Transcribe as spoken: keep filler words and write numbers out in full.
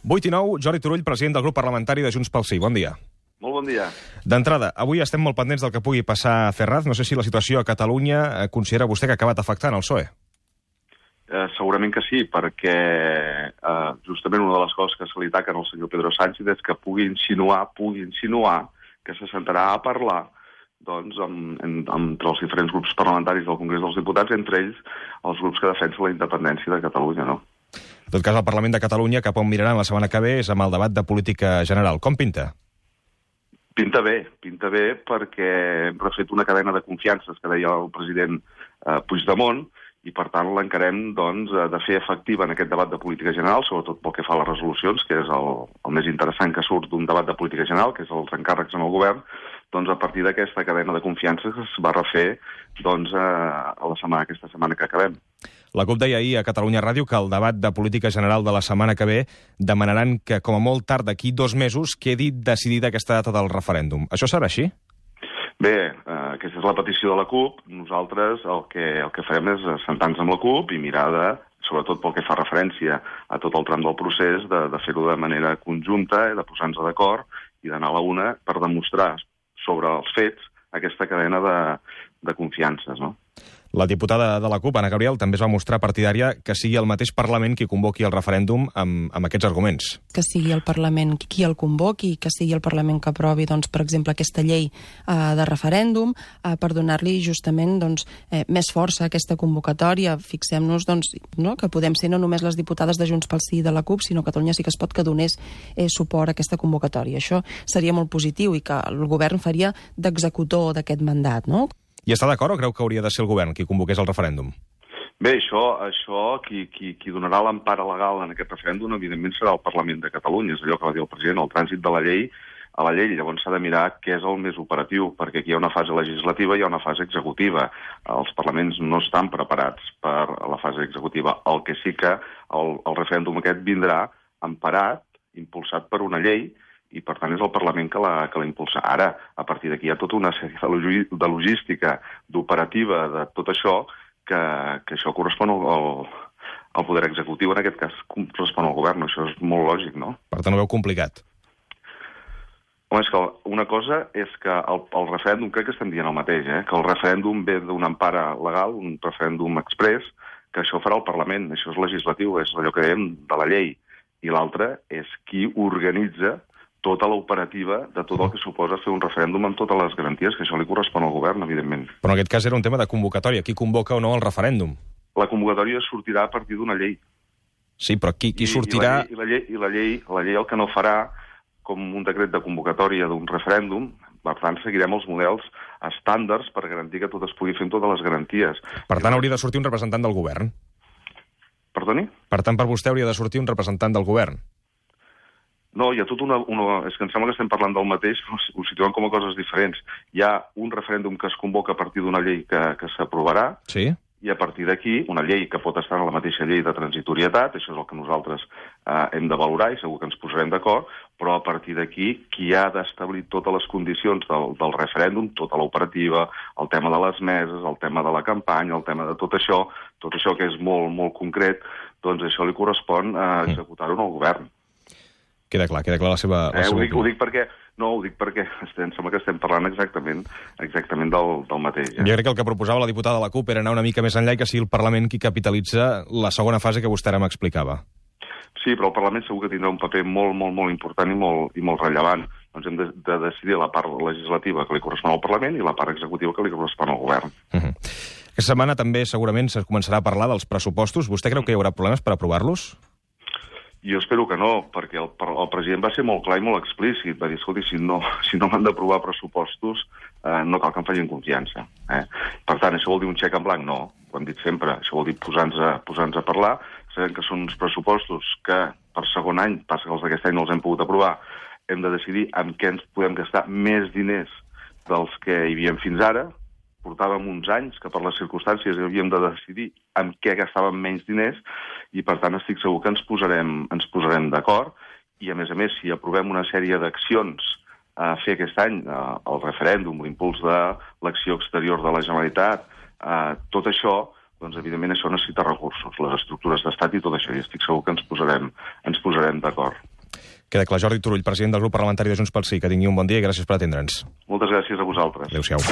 vuit i nou, Jordi Turull, president del grup parlamentari de Junts pel Sí. Bon dia. Molt bon dia. D'entrada, avui estem molt pendents del que pugui passar a Ferraz. No sé si la situació a Catalunya considera vostè que ha acabat afectant el P S O E. Eh, segurament que sí, perquè eh, justament una de les coses que se li taquen al senyor Pedro Sánchez és que pugui insinuar, pugui insinuar que se sentarà a parlar doncs, amb, en, entre els diferents grups parlamentaris del Congrés dels Diputats, entre ells els grups que defensen la independència de Catalunya, no? En tot cas, el Parlament de Catalunya, cap on miraran la setmana que ve, és amb el debat de política general. Com pinta? Pinta bé, pinta bé perquè hem refet una cadena de confiances que deia el president eh, Puigdemont, i per tant l'encarem doncs, de fer efectiva en aquest debat de política general, sobretot pel que fa a les resolucions, que és el, el més interessant que surt d'un debat de política general, que és els encàrrecs en el govern, doncs a partir d'aquesta cadena de confiances es va refer doncs, a, a la setmana, aquesta setmana que acabem. La CUP deia ahir a Catalunya Ràdio que el debat de política general de la setmana que ve demanaran que, com a molt tard d'aquí dos mesos, quedi decidida aquesta data del referèndum. Això serà així? Bé, eh, aquesta és la petició de la CUP. Nosaltres el que, el que farem és sentar-nos amb la CUP i mirar de, sobretot pel que fa referència a tot el tram del procés, de, de fer-ho de manera conjunta, de posar-nos d'acord i d'anar a la una per demostrar sobre els fets aquesta cadena de, de confiances, no? La diputada de la CUP, Anna Gabriel, també es va mostrar partidària que sigui el mateix Parlament qui convoqui el referèndum amb, amb aquests arguments. Que sigui el Parlament qui el convoqui, que sigui el Parlament que aprovi, doncs, per exemple, aquesta llei eh, de referèndum, eh, per donar-li justament doncs, eh, més força a aquesta convocatòria. Fixem-nos doncs, no, que podem ser no només les diputades de Junts pel Sí i de la CUP, sinó Catalunya Sí que es pot que donés eh, suport a aquesta convocatòria. Això seria molt positiu i que el govern faria d'executor d'aquest mandat, no? I està d'acord o creu que hauria de ser el govern qui convoqués el referèndum? Bé, això, això qui, qui, qui donarà l'empara legal en aquest referèndum, evidentment, serà el Parlament de Catalunya. És allò que va dir el president, el trànsit de la llei a la llei. Llavors s'ha de mirar què és el més operatiu, perquè aquí hi ha una fase legislativa i hi ha una fase executiva. Els parlaments no estan preparats per a la fase executiva. El que sí que el, el referèndum aquest vindrà emparat, impulsat per una llei, i per tant és el Parlament que la, que la impulsa. Ara, a partir d'aquí hi ha tota una sèrie de, de logística, d'operativa, de tot això, que, que això correspon al, al, al poder executiu, en aquest cas correspon al govern. Això és molt lògic, no? Per tant, ho veu complicat. Home, és que una cosa és que el, el referèndum, crec que estem dient el mateix, eh? Que el referèndum ve d'una empara legal, un referèndum exprés, que això farà el Parlament, això és legislatiu, és allò que dèiem de la llei. I l'altre és qui organitza tota l'operativa de tot el que suposa fer un referèndum amb totes les garanties, que això li correspon al govern, evidentment. Però en aquest cas era un tema de convocatòria. Qui convoca o no el referèndum? La convocatòria sortirà a partir d'una llei. Sí, però qui, qui sortirà... I, i, la llei, i la, llei, la llei el que no farà, com un decret de convocatòria d'un referèndum, per tant, seguirem els models estàndards per garantir que tot es pugui fer amb totes les garanties. Per tant, hauria de sortir un representant del govern? Perdoni? Per tant, per vostè hauria de sortir un representant del govern? No, hi ha tot una, una... És que em sembla que estem parlant del mateix, però ho situem com a coses diferents. Hi ha un referèndum que es convoca a partir d'una llei que, que s'aprovarà, sí? I a partir d'aquí, una llei que pot estar en la mateixa llei de transitorietat, això és el que nosaltres eh, hem de valorar i segur que ens posarem d'acord, però a partir d'aquí, qui ha d'establir totes les condicions del, del referèndum, tota l'operativa, el tema de les meses, el tema de la campanya, el tema de tot això, tot això que és molt, molt concret, doncs això li correspon a executar-ho al govern. Queda clar, queda clar la seva... La eh, seva ho, dic, ho dic perquè... No, ho dic perquè estem, sembla que estem parlant exactament exactament del, del mateix. Eh? Jo crec que el que proposava la diputada de la CUP era anar una mica més enllà i que sigui el Parlament qui capitalitza la segona fase que vostè ara m'explicava. Sí, però el Parlament segur que tindrà un paper molt, molt, molt important i molt, i molt rellevant. Doncs hem de, de decidir la part legislativa que li correspon al Parlament i la part executiva que li correspon al govern. Uh-huh. Aquesta setmana també segurament es començarà a parlar dels pressupostos. Vostè creu que hi haurà problemes per aprovar-los? Jo espero que no, perquè el, el president va ser molt clar i molt explícit. Va dir, escolti, si no, si no m'han d'aprovar pressupostos, eh, no cal que em facin confiança. Eh? Per tant, això vol dir un xec en blanc? No, ho hem dit sempre. Això vol dir posar-nos a, posar-nos a parlar. Sabem que són uns pressupostos que per segon any, passa que els d'aquest any no els hem pogut aprovar, hem de decidir amb què ens podem gastar més diners dels que hi havia fins ara. Portàvem uns anys que per les circumstàncies havíem de decidir amb què gastàvem menys diners i, per tant, estic segur que ens posarem, ens posarem d'acord i, a més a més, si aprovem una sèrie d'accions a fer aquest any, eh, el referèndum, l'impuls de l'acció exterior de la Generalitat, eh, tot això, doncs, evidentment, això necessita recursos, les estructures d'estat i tot això, i estic segur que ens posarem, ens posarem d'acord. Queda clar. Jordi Turull, president del grup parlamentari de Junts pel Sí, que tingui un bon dia i gràcies per atendre'ns. Moltes gràcies a vosaltres. Adéu-siau.